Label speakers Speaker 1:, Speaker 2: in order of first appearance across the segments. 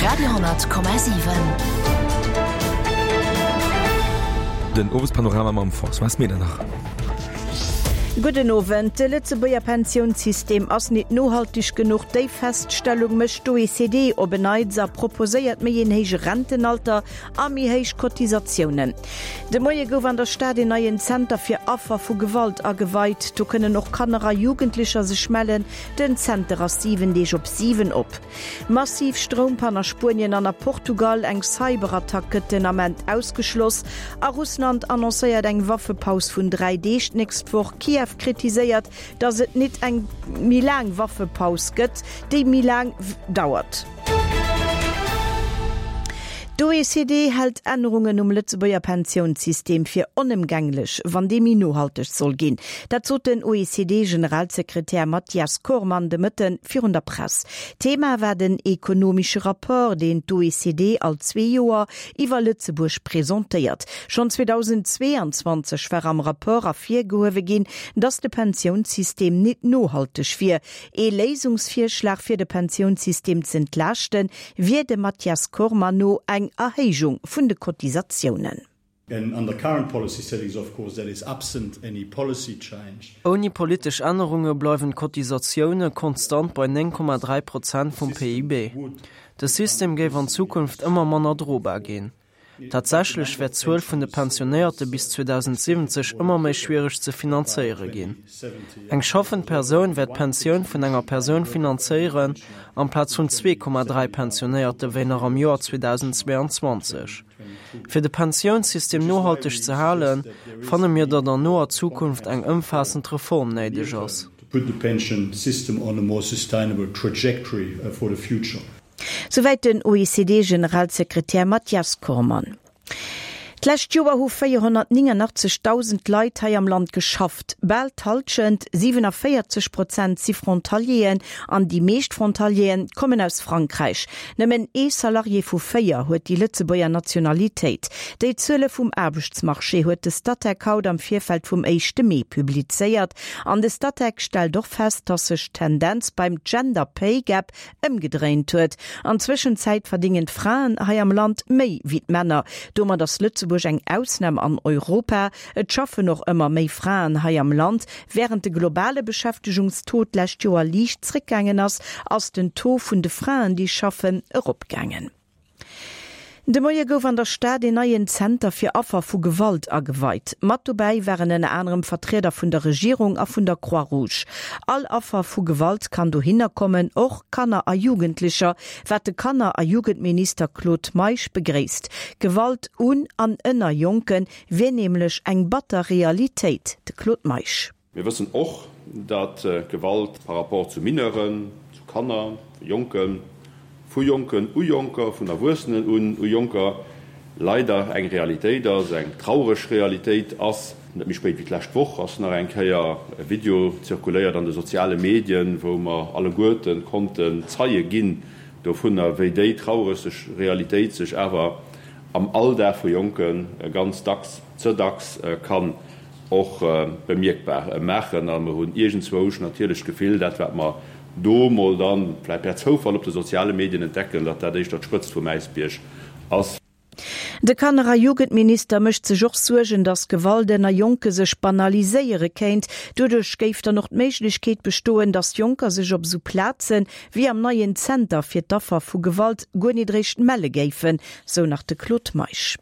Speaker 1: Radio 10,7.
Speaker 2: Den Owespanorama mam Françoise Medernach.
Speaker 3: Gudden Owend. De Lëtzebuerger Pensiounssystem ass nit nohalteg genuch. Déi Feststellung mécht d'OECD op en Neits a proposéiert méi een héije Rentenalter a méi héich Cotisatiounen. De Moie gouf an der Stad een neien Zenter fir Affer vu Gewalt ageweit. Do kënnen och Kanner a Jugendlecher sech mellen. Den Zenter ass 7 Deeg op 7 op. Massiv Stroumpann a Spuenien an a Portugal, eng Cyberattack gëtt den Ament ausgeschloss a Russland annoncéiert eng Waffepaus vun 3 Deeg d'nächst Woch. Kiew kritiséiert, datt et nit eng méi laang Waffepaus gëtt, déi méi laang dauert. D'OECD hält Ännerungen um Lëtzebuerger Pensiounssystem fir onëmgänglech, wann dee méi nohalteg soll ginn. Dat sot den OECD-Generalsekretär Mathias Cormann de Mëtte virun der Press. Thema war den ekonomesche Rapport, deen d'OECD all zwee Joer iwwer Lëtzebuerg presentéiert. Schonn 2022 war am Rapport ervirgehuewe ginn, datt de Pensiounssystem nit nohalteg wier. Ee Léisungsvirschlag fir de Pensiounssystem z'entlaaschten, wier dem Mathias Cormann no eng Erhéijung vun de Cotisatiounen.
Speaker 4: Ouni politesch Ännerunge bleiwen d'Cotisatioune konstant bei 9,3 Prozent vum PIB. De System géif an Zukunft ëmmer manner drobar ginn. Tatsächlech wäert d'Zuel vun de Pensionéierte bis 2070 ëmmer méi schwiereg ze finanzéiere ginn. Eng schaffend Persoun wäert d'Pensioun vun enger Persoun finanzéieren, amplaz vun 2,3 Pensionéierte wéi nach am Joer 2022. Fir de Pensiounssystem nohalteg ze halen, fanne mir, datt an noer Zukunft eng ëmfaassend Reform néideg ass.
Speaker 3: Souwäit den OECD-Generalsekretär Mathias Cormann. D'lescht Joer hu 489.000 Leit hei am Land geschafft. Bal d'Hallschent, 47 Prozent, si Frontalieren an déi meescht Frontalieren kommen aus Frankräich. Nëmmen ee Salarié vu 4 huet déi Lëtzebuerger Nationalitéit. Déi Zuele vum Aarbechtsmarché huet de Statec haut am Virfeld vum éischte Mee publizéiert. An de Statec stellt och fest, datt sech d'Tendenz beim Gender Pay Gap ëmgedréint huet. An Zwëschenzäit verdéngen d'Fraen hei am Land méi wéi d'Männer. Domat ass Lëtzebuerg eng Ausnam an Europa. Et schaffen och ëmmer méi Fraen hei am Land. Wärend de globale Beschäftegungstaux d'lescht Joer liicht zréckgaangen ass, ass den Taux vun de Fraen, déi schaffen, eropgaangen. De Moie gouf an der Stad een neien Zenter fir Affer vu Gewalt ageweit. Mat dobäi waren ënner anerem Vertrieder vun der Regierung a vun der Croix-Rouge. All Affer vu Gewalt kann dohinner kommen, och Kanner a Jugendlecher, wat de Kanner a Jugendminister Claude Meisch begréisst. Gewalt un an ënner Jonke wier nämlech eng batter Realitéit. De Claude Meisch.
Speaker 5: Mir wëssen och, datt Gewalt par rapport zu Mineuren, zu Kanner, Jonken, vu Jonken u Jonker, vun Erwuessenen un u Jonker leider eng Realitéit ass, eng traureg Realitéit ass. Net méi spéit wéi d'lescht Woch ass nach eng Kéier e Video zirkuléiert an de soziale Medien, wou mer alleguerte konnten Zeie ginn dovunner, wéi déi traureg Realitéit sech awer am Alldag vu Jonke ganz dacks, ze dacks kann och bemierkbar maachen. A mer hunn iergendzwousch natierlech d'Gefill, dat wat mer do mol dann vläicht per Zoufall op de soziale Medien entdecken, datt dat éischter d'Spëtzt vum Äisbierg ass.
Speaker 3: De Kanner a Jugendminister mécht sech och Suergen, datt Gewalt ënner Jonke sech banaliséiere kéint. Doduerch géif dann och d'Méiglechkeet bestoen, datt Jonker sech op esou Plaze wéi am neien Zenter fir d'Affer vu Gewalt guer nit eréischt melle géifen, sou nach de Claude Meisch.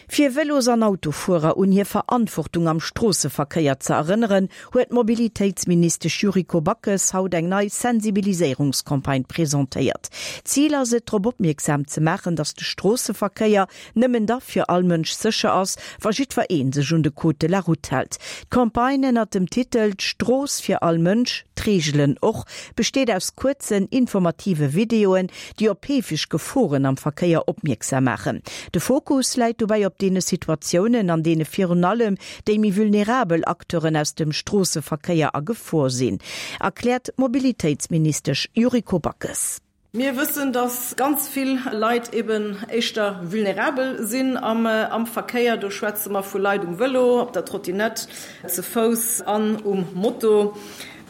Speaker 3: Fir Vëlos an Autofuerer un hir Verantwortung am Stroosseverkéier ze erënneren, huet d'Mobilitéitsministesch Yuriko Backes haut eng nei Sensibiliséierungscampagne presentéiert. Zil ass et, drop opmierksam ze maachen, datt de Stroosseverkéier nëmmen da fir all Mënsch sécher ass, wa jiddwer een sech un de Code de la Route hält. D'Campagne ënnert dem Titel D'Strooss fir all Mënsch, d'Reegelen och besteet aus kuerzen, informative Videoen, déi op heefeg Geforen am Verkéier opmierksam maachen. De Fokus läit dobäi op deene Situatiounen, an deene virun allem déi méi vulnerabel Acteuren aus dem Stroosseverkéier a Gefor sinn, erkläert d'Mobilitéitsministesch Yuriko Backes.
Speaker 6: Mir wëssen, dass ganz vill Leit eben éischter vulnerabel sinn am Verkéier. Do schwätze mer vu Leit um Vëlo, op der Trottinett, ze Fouss an um Moto.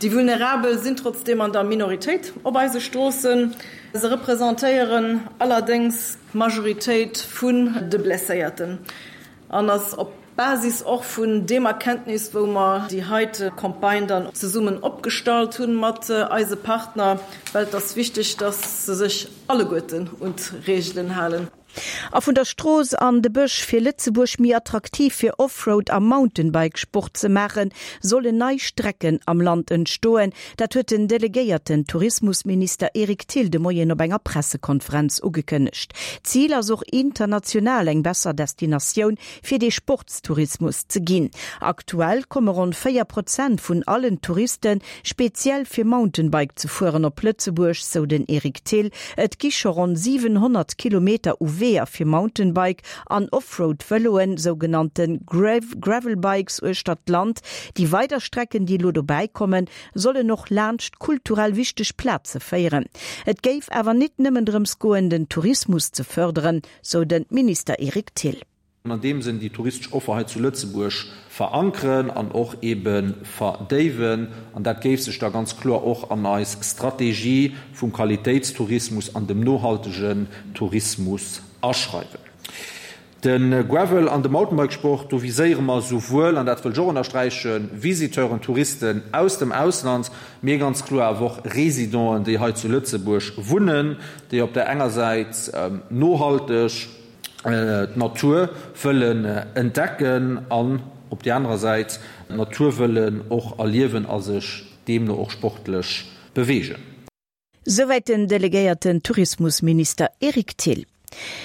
Speaker 6: Déi Vulnerabel sinn trotzdeem an der Minoritéit op eise Stroossen. Se representéieren allerdéngs d'Majoritéit vun de Blesséierten an ass op Basis och vun deem Erkenntnis, wou mer déi heite Campagne dann zesummen opgestallt hunn mat eise Partner, well et ass wichteg, dass se sech alleguerten un d'Reegelen halen.
Speaker 3: A vun der Strooss an de Bësch, Fir Lëtzebuerg méi attraktiv fir Offroad a Mountainbike-Sport ze maachen, sollen nei Strecken am Land entstoen. Dat huet den delegéierten Tourismusminister Eric Thill de Moien op enger Pressekonferenz ugekënnegt. Zil ass och international eng besser Destinatioun fir dee Sportstourismus ze ginn. Aktuell komme ronn 4 Prozent vun allen Touriste speziell fir Mountainbike ze fueren op Lëtzebuerg, sou den Eric Thill. Et gi scho ronn 700 Kilometer u Weeër fir Mountainbike an Offroad-Vëloen, sougenannte Gravelbikes, uechter d'Land. Déi weider Strecken, déi elo dobäi kommen, sollen och laanscht kulturell wichteg Plaze féieren. Et géif awer nit nëmmen drëms goen, den Tourismus ze fërderen, sou de Minister Eric Thill.
Speaker 1: An an deem Sënn déi touristesch Offer hei zu Lëtzebuerg verankeren an och ebe verdéiwen. An dat géif sech da ganz kloer och an eis Strategie vum Qualitéitstourismus an dem nohaltegen Tourismus aschreiwen. De Gravel an de Mountainbikesport, do viséiere mer souwuel, an dat wëll ech och ënnersträichen, Visiteuren, Touristen aus dem Ausland, mee ganz kloer awer och Résidenten, déi hei zu Lëtzebuerg wunnen, déi op där enger Säit nohalteg, d'Natur wëllen entdecken an op déi anerer Säit d'Natur wëllen och erliewen a sech deemno och sportlech beweegen.
Speaker 3: Souwäit den delegéierten Tourismusminister Eric Thill.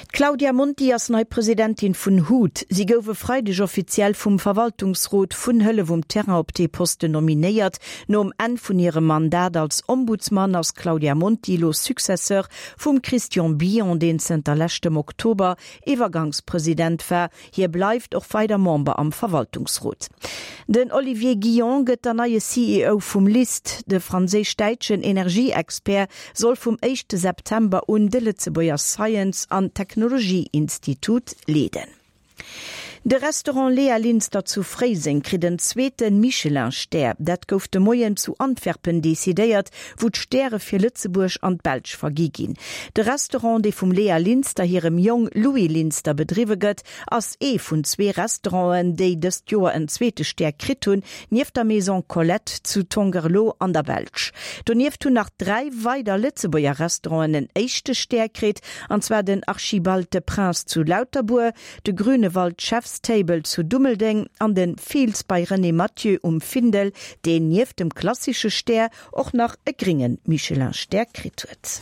Speaker 3: D'Claudia Monti ass nei Presidentin vun hut. Si gouf e Freideg offiziell vum Verwaltungsrot vun Hëllef um Terrain op dee Posten nominéiert. Nom Enn vun hirem Mandat als Ombudsman ass d'Claudia Monti elo Successeur Vum Christian Billon, deen zënter leschtem Oktober Iwwergangspresident war. Hie bleift och weider Member am Verwaltungsrot. Den Olivier Guillon gëtt der neie CEO vum LIST. De franséisch-däitschen Energieexpert soll vum éischte September un de Lëtzebuerger Science an Technologie-Institut leeden. De Restaurant Léa Linster zu Fréiseng kritt en zweete Michelin-Stär. Dat gouf de Moien zu Antwerpen decidéiert, wou d'Stäre fir Lëtzebuerg an d'Belsch vergi ginn. De Restaurant, dee vum Léa Linster hirem Jong Louis Linster bedriwwe gëtt, ass ee vun zwee Restauranten, déi dëst Joer en zweete Stär kritt hunn, nieft der Maison Colette zu Tongerlo an der Belsch. Donieft hunn nach 3 weider Lëtzebuerger Restauranten en éischte Stär kritt, an zwar den Archibald de Prince zu Lauterbuer, de Grünewald Chef's Table zu Dummeldeng an de Fields by René Mathieu um Findel, deen nieft dem klassische Stär och nach e grénge Michelin-Stär kritt huet.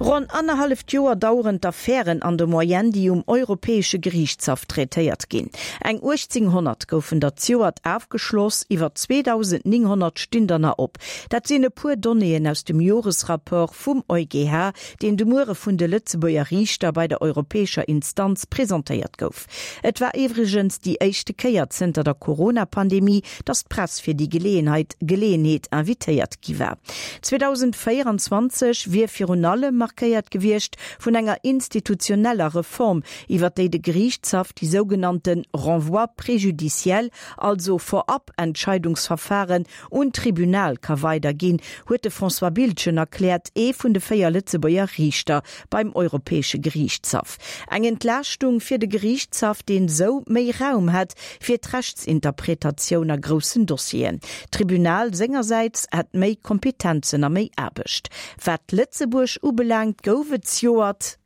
Speaker 3: Ronn annerhalleft Joer daueren d'Affären an der Moyenne, déi um Europäesche Geriichtshaff traitéiert ginn. Eng 1.800 goufen der zejoert afgeschloss, iwwer 2.900 stinn der nach op. Dat sinn e puer Donnéeën aus dem Joresrapport vum EuGH, deen de Muere vun de Lëtzebuerger Riichter bei der europäescher Instanz presentéiert gouf. Et war iwwregens déi éischte Kéier zënter der Corona-Pandemie, datt d'Press fir déi Geleeënheit Geleeënheet invitéiert gi war. 2024 wier virun allem markéiert gewiescht vun enger institutioneller Reform, iwwer déi de Geriichtshaff déi sougenannte Renvois préjudiciels, also Vorab-Entscheidungsverfahren, Un d'Tribunal ka weiderginn, huet de François Biltgen erkläert, ee vun de 4 Lëtzebuerger Riichter beim Europäesche Geriichtshaff. Eng Entlaaschtung fir de Geriichtshaff, deen sou méi Raum hätt fir d'Rechtsinterpretatioun a groussen Dossieren. D'Tribunal sengersäits hätt méi Kompetenzen a méi Aarbecht. Wat Lëtzebuerg ubelaangt, gouf et zjoert.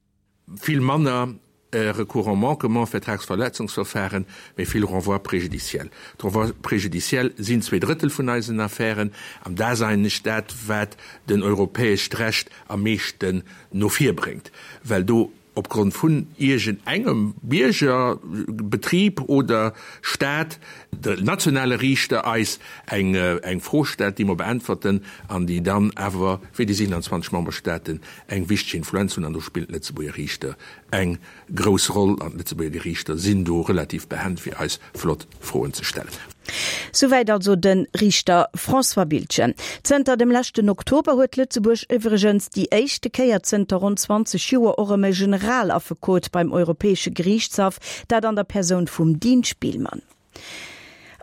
Speaker 7: Vill manner Recours en manquement, Vertragsverletzungsverfahren, mee vill Renvois préjudiciels. D'Renvois préjudiciels sinn zweedrëttel vun eisen Affären, an dat ass eigentlech dat, wat den europäescht Recht am meeschten no vir bréngt, well do opgrond vun iergend engem Bierger, Betrib oder Stat de nationale Riichter eis eng Fro stellt, déi mer beäntwerten an déi dann awer fir déi 27 Memberstaaten eng wichteg Influenz hunn an do spillen d'Lëtzebuerger Riichter eng grouss Roll an d'Lëtzebuerger Geriichter sinn do relativ behend fir eis flott Froen ze stellen.
Speaker 3: Souwäit also de Riichter François Biltgen. Zënter dem leschten Oktober huet Lëtzebuerg iwwregens déi éischte Kéier zënter ronn 20 Joer och erëm e Generalaffekot beim Europäesche Geriichtshaff, dat an der Persoun vum Dean Spielmann.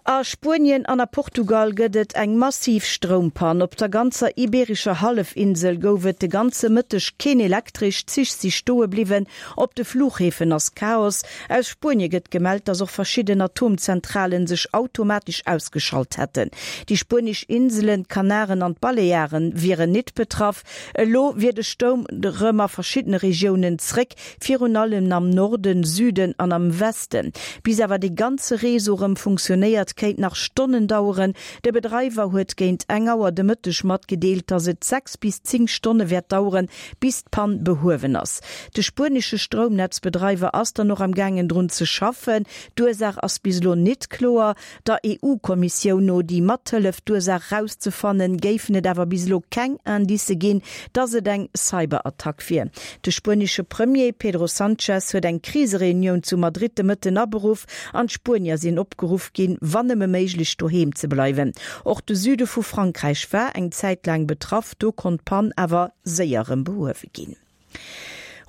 Speaker 3: A Spuenien an a Portugal gëtt et eng massiv Stroumpann. Op der ganzer ibeerescher Hallefinsel gouf et de ganze Mëtteg keen Elektresch, d'Zich si stoe bliwwen, op de Fluchhäfen ass Chaos. Aus Spuenie gëtt gemellt, datt och verschidden Atomzentralen sech automatesch ausgeschalt hätten. Déi spuenesch Inselen, d'Kanaren an d'Balearen wieren nit betraff. Elo wier de Stoum rëm a verschiddene Regiounen zréck, virun allem am Norden, Süden an am Westen. Bis awer dee ganze Réseau rëm funktionéiert, kéint nach Stonnen daueren. De Bedreiwer huet géint eng Auer de Mëtteg matgedeelt, datt et 6 bis 10 Stonne wäert daueren, bis d'Pann behuewen ass. De spuenesche Stroumnetzbedreiwer ass dann och am gaangen drun ze schaffen. D'Ursaach ass bis elo nit kloer. Der EU-Kommissioun no, déi mathëlleft d'Ursaach rauszefannen, géifen et awer bis elo keng Indicë ginn, datt et eng Cyberattack wier. De spuenesche Premier Pedro Sanchez huet eng Krisereunioun zu Madrid de Mëtten aberuff an d'Spuenier sinn opgeruff ginn, wann nëmme méiglech doheem ze bleiwen. Och de Süde vu Frankräich war eng Zäit laang betraff, do konnt d'Pann awer séier erëm behuewe ginn.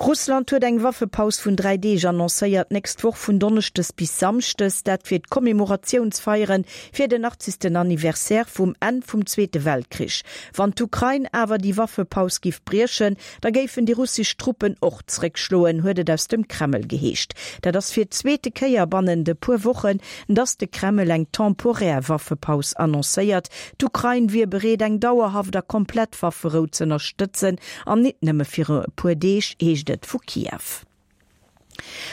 Speaker 3: Russland huet eng Waffepaus vun 3 Deeg annoncéiert, d'nächst Woch vun Donneschdes bis Samschdes. Dat fir d'Commemoratiounsfeiere fir den 80. Anniversaire vum Enn vum Zweete Weltkrich. Wann d'Ukrain awer déi Waffepaus giff briechen, da géifen déi russesch Truppen och zréckschloen, huet et aus dem Kreml geheescht. Dat ass fir d'zweete Kéier bannent e puer Wochen, datt de Kreml eng temporär Waffepaus annoncéiert. D'Ukrain wier bereet, eng dauerhaft a komplett Wafferou z'ënnerstëtzen, An nit nëmme fir e puer Deeg, heescht et vu Kiew.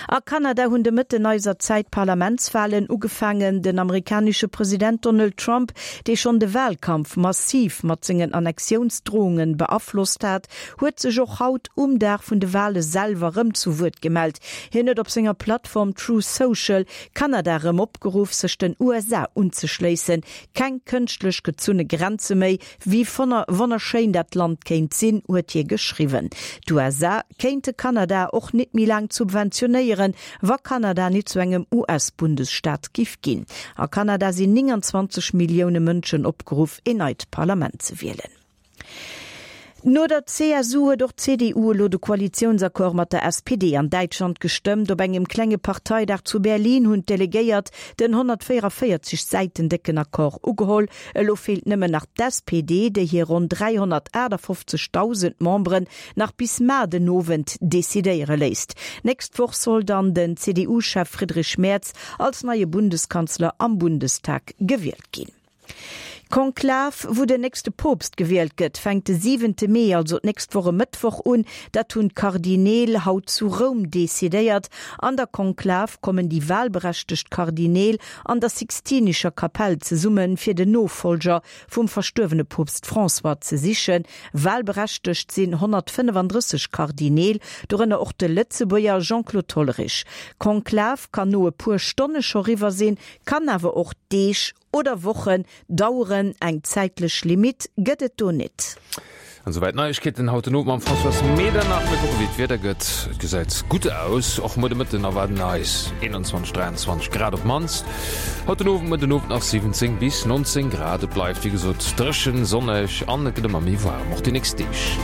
Speaker 3: A Kanada hunn de Mëtten eiser Zäit d'Parlamentswalen ugefaangen. Den amerikanesche President Donald Trump, dee schonn de Walkampf massiv mat sengen Annexiounsdrohunge beaflosst hat, huet sech och haut um Dag vun de Wale selwer rëm zu Wuert gemellt. Hien huet op senger Plattform Truth Social Kanada rëm opgeruff, sech den USA unzeschléissen. Keng kënschtlech gezunne Grenze méi, Wéi wonnerschéin dat Land kéint sinn, huet hie geschriwwen. D'USA kéinte Kanada och nit méi laang subventionéieren, wa Kanada nit zu engem US-Bundesstaat giff ginn. A Kanada sinn 29 Millioune Mënschen opgeruff, een neit Parlament ze wielen. No der CSU huet och d'CDU elo de Koalitiounsaccord mat der SPD an Däitschland gestëmmt. Op engem klenge Parteidag zu Berlin hunn d'Delegéiert den 144 Säiten décken Accord ugeholl. Elo feelt nëmmen nach d'SPD, déi hir ronn 358.000 Memberen nach bis mar den Owend decidéiere léisst. Nächst Woch soll dann den CDU-Chef Friedrich Merz als neie Bundeskanzler am Bundestag gewielt ginn. D'Konklav, wou den nächste Poopst gewielt gëtt, fänkt de siwente Mee, also d'nächst Woch e Mëttwoch un. Dat hunn d'Kardineel haut zu Roum decidéiert. An der Konklav kommen déi walberechtegt Kardineel an der Sixtinischer Kapell zesumme fir den Nofollger vum verstuerwene Poopst François ze sichen. Walberechtegt sinn 135 Kardineel, dorënner och de Lëtzebuerger Jean-Claude Hollerich. D'Konklav kann no e puer Stonne scho riwwer sinn, kann awer och Deeg oder Wochen daueren. Eng zäitlech Limitt gëtt et do nit.
Speaker 8: An souwäit d'Neiegkeeten haut den Owend mam Françoise Medernach. Mir kucke wéi d'Wieder gëtt. Et gesäit gutt aus, och muer de Mëtten erwaarden eis 21, 23 Grad op d'mannst. Haut den Owend, muer den Owend nach 17 bis 19 Grad. Et bleift wéi gesot dréchen, sonneg an et gëtt ëmmer méi waarm, och déi nächst Deeg.